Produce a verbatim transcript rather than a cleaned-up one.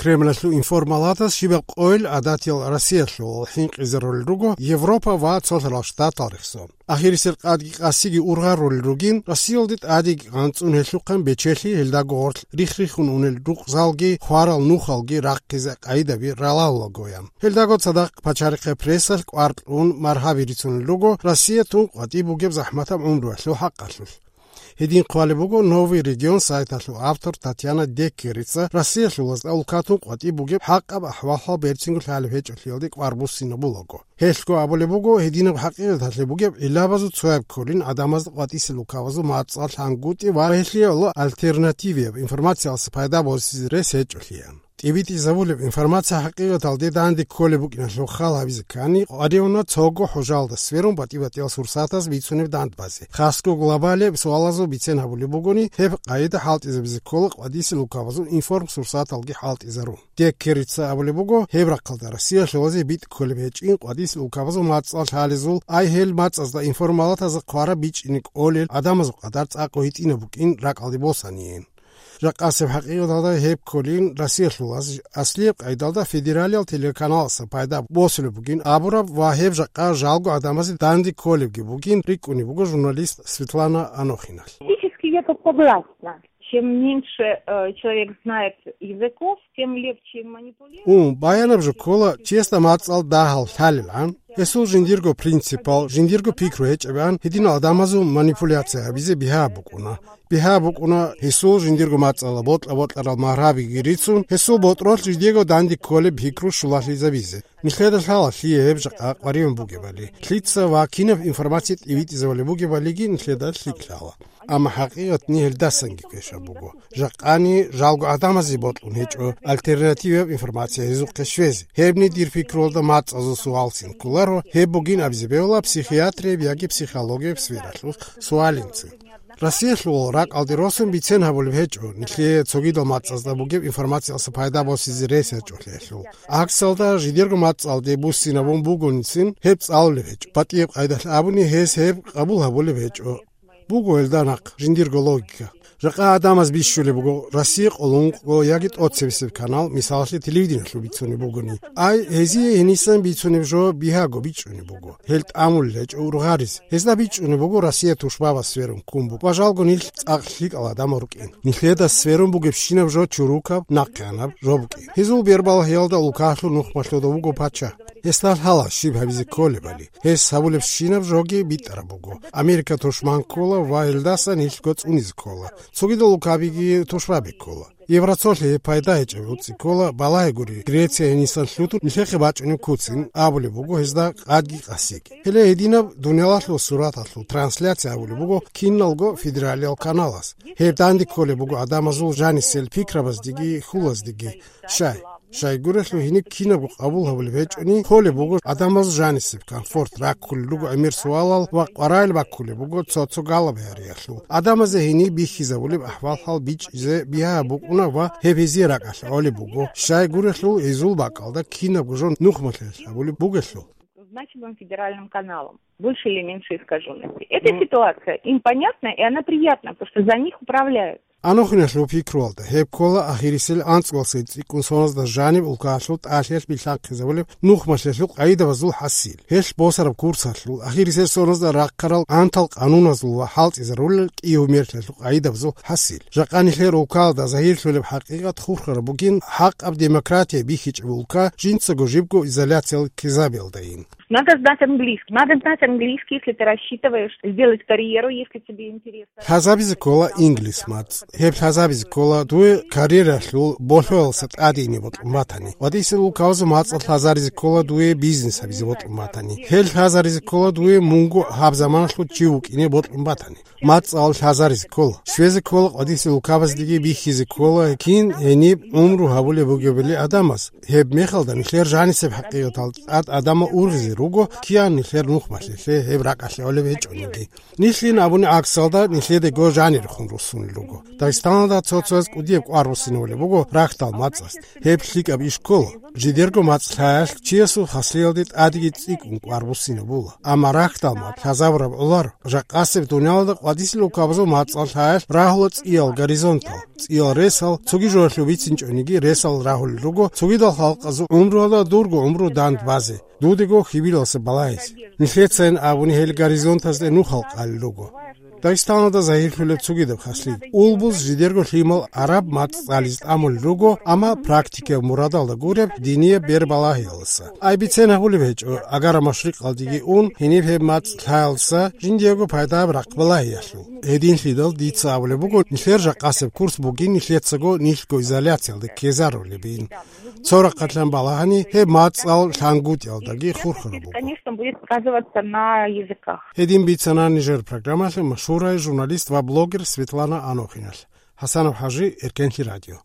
Кремлалъул информалатас щибаб къойил гӀадатиял Россиялъул хӀинкъизарулел руго Европа ва Цолъарал Штатал рехсон. Ахирисел къадги къасиги ургъарулел ругин, Россиялде тӀадеги анцӀун гьелъухъан бечелъи гьелдаго гъорлъ рихх-риххун унел рукъзалги хварал нухалги рахъизе къайдаби ралалулагоян. Гьелдаго цадахъ пачарихъе прессалъ кӀвар кьун маргьаби рицунел руго Россия тун къватӀиб бугеб захӀматаб гӀумруялъул хӀакъалъулъ. Гьедин хъвалеб буго «Новый регион» сайталъул автор Татьяна Деккерица Россиялъулазда улкатун къватӀиб бугеб хӀакъаб ахӀвал-хӀал берцинго лъалеб гьечӀолъиялде кӀвар буссинабулаго. Гьелъго абулеб буго, гьединаб хӀакъикъаталъе бугеб гӀиллабазул цояб кколин гӀадамазда къватӀисел улкабазул мацӀал лъангутӀи ва гьелъие альтернативияб информациялъе пайда босизе рес гьечӀолъиян. ТӀибитӀизабулеб информация хӀакъикъаталде данде кколеб букӀиналъул хал гьабизе ккани, къваригӀуна цого хӀужалда сверун батӀи-батӀиял сурсатаз бицунеб дандбазе. Хасго глобалияб суалазул бицен гьабулеб бугони, гьеб къайда хӀалтӀизабизе ккола къватӀисел улкабазул информсурсаталги хӀалтӀизарун. Деккерица абулеб буго, гьеб рахъалда Россиялъулазе битӀ кколеб гьечӀин къватӀисел улкабазул мацӀал лъалезул, ай гьел мацӀазда информалатазда хъвараб бичӀчӀине кӀолел гӀадамазул къадар цӀакъго гьитӀинаб букӀин ракӀалде босаниен. Жакъасеб хӀакъикъаталда гьеб кколин Россиялъулаз аслияб къайдалда федералиял телеканаласа пайда босулеб бугин абураб ва гьеб жакъа жалго гӀадамазе данде кколебги бугин рикӀкӀунеб буго журналист Светлана Анохиналъ. Фактически я согласна. Чем меньше э, человек знает языков, тем легче им манипулировать. Ун, баянаб жо ккола, чиясда мацӀал дагьал лъалилан, гьесул жиндирго принципал, жиндирго пикру гьечӀебан, гьединал гӀадамазул манипуляция гьабизе бигьа букӀуна. Бигьа букӀуна гьесул жиндирго мацӀала бокьа-бокьарал маргьабиги рицун, гьесул ботӀролъ жидего данде кколеб пикру щулалъизабизе. Нилъеда лъала лъие гьеб жакъа къваригӀун бугебали, лъица ва кинаб информация тӀибитӀизабулеб бугебалиги нилъеда лъикӀ лъала. Амма хӀакъикъатни гьелдасанги квешаб буго. Жакъани жалго гӀадамазе бокьун гьечӀо альтернативияб информация гьезухъе щвезе. Гьебни дир пикруялда мацӀазул суалцин кколаро, гьеб бугин абизе бегьула психиатрияб яги психологияб сфералъул суалинцин. Россиялъул ракӀалде росун бицен гьабулеб гьечӀо, нилъее цогидал мацӀазда бугеб информациялъе пайда босизе рес гьечӀолъиялъул. ГӀаксалда, жидерго мацӀалде буссинабун бугоницин гьеб цӀалулеб гьечӀо. БатӀияб къайдалъ абуни, гьес гьеб къабул гьабулеб гьечӀо. Буго гьелда нахъ жиндирго логика. Жакъа гӀадамаз бищулеб буго Россия къоло ункъго яги тӀоцебесеб канал, мисалалъе, телевидениялъул бицунеб бугони. Ай, гьезие гьенисан бицунеб жо бигьаго бичӀчӀунеб буго. Гьел тӀамулел гьечӀо ургъарис. Гьезда бичӀчӀунеб буго Россия тушбабаз сверун ккун буго ва жалго нилъ цӀакъ лъикӀал гӀадамал рукӀин. Нилъеда сверун бугебщинаб жо чурукаб, нахъеанаб жо букӀин. Гьезул бербалгьиялда улкалъул нухмалъуда вуго пача. Гьесда лъала щиб гьабизе кколебали. Гьес гьабулебщинаб жоги битӀараб буго. Америка тушман ккола ва гьелдаса нилъго цӀунизе ккола. Цогидал улкабиги тушбаби ккола. Евроцолъи гьеб пайда гьечӀеб гӀуцӀи ккола, балагье гури, Греция гьенисан лъутун нилъехъе бачӀунеб куцин абулеб буго гьезда къадги къасиги. Гьеле гьединаб дуниялалъул сураталъул трансляция гьабулеб буго киналго федералиял каналас. Гьеб данде кколеб буго гӀадамазул жанисел пикрабаздеги хьулаздеги. Щай? Щайгурелъул гьениб кинабго къабул гьабулеб гьечӀони, холеб буго гӀадамазул жанисеб комфорт, раккулел руго гӀемер суалал ва къваригӀел баккулеб буго цо-цо галаб гьариялъул. ГӀадамазе гьениб бихьизабулеб ахӀвал-хӀал бичӀчӀизе бигьа букӀуна ва гьеб гьезие ракӀалъ гӀолеб буго, щайгурелъул гьезул бакӀалда кинабго жо нухмалъиялъ гьабулеб бугелъул. Значимым федеральным каналом. Больше или меньше искаженности. Эта ситуация им понятна, и она приятна, потому что за них управляют. Анохиналъул пикруялда, гьеб ккола ахирисел анцӀгоялдаса цӀикӀкӀун соназда жаниб улкалъул тӀалъиялъ билълъанхъизабулеб нухмалъиялъул къайдабазул хӀасил. Гьелъ босараб курсалъул, ахирисел соназда рахъарал гӀантал къануназул ва хӀалтӀизарулел кӀиго мерлъиялъул къайдабазул хӀасил. Жакъа нилъер улкалда загьирлъулеб хӀакъикъат хурхараб бугин хӀакъаб демократия бихьичӀеб улка жинцаго жибго изоляциялъ ккезабиялдайин. Надо знать английский. Надо знать английский, если ты рассчитываешь сделать карьеру, если тебе интересно. Лъазабизе ккола инглис мацӀ. Гьеб лъазабизе ккола дуе карьералъул болъоялдаса тӀадеги бокьун батани. КъватӀисел улкаялъул мацӀал лъазаризе ккола дуе бизнес гьабизе бокьун батани. Гьел лъазаризе ккола дуе мунго гьаб заманалъул чи вукӀине бокьун батани. МацӀал лъазаризе ккола. Щвезе ккола къватӀисел улкабаздеги бихьизе ккола, кин гьениб гӀумру гьабулеб бугебали гӀадамаз. Гьеб мехалда нилъер жанисеб хӀакъикъаталда тӀад гӀадамал ургъизе руго, киян нилъер нухмалъиялъе гьеб ракӀалъ гӀолеб гьечӀониги. Нилъин абуни гӀаксалда нилъедаго жанирехун руссунел руго. Дагъистаналда цо-цояз кӀудияб кӀвар буссинабулеб буго рахьдал мацӀалъ. Гьеб лъикӀаб иш ккола. Жидерго мацӀ лъаялъ чиясул хасиялде тӀадеги цӀикӀкӀун кӀвар буссинабула. Амма рахьдал мацӀ лъазабураб гӀоларо. Жакъасеб дуниялалда къватӀисел улкабазул мацӀал лъаялъ рагьула цӀиял горизонтал, цӀиял ресал, цоги жоялъул бицинчӀониги ресал рагьулел руго, цогидал халкъазул гӀумруялда дурго гӀумру дандбазе, дудего хьибилалса балагьизе. Нилъецайин абуни гьел горизонтазде нухал къалел руго. Дагъистаналда загьирлъулеб цогидаб хаслъи. Улбуз жидерго лъимал араб мацӀ цӀализе тӀамулел руго, амма практикаяб мурадалда гуреб динияб бербалагьиялдаса. Ай бицен гьабулеб гьечӀо, агара машрикъалдеги ун, гьениб гьеб мацӀ лъаялдаса жиндиего пайдаяб рахъ балагьиялъул. Гьединлъидал дица абулеб буго, нилъер жакъасеб курс бугин нилъецаго нилъго изоляциялде ккезарулебин. Цо рахъалъан балагьани, гьеб мацӀал лъангутӀиялдаги хурхараб буго. Конечно, будет сказываться на языках. Гьедин бицана нижер программалъе машгьурай журналист ва блогер Светлана Анохиналъ. Гьасанов ХӀажи, Эркенлъи радио.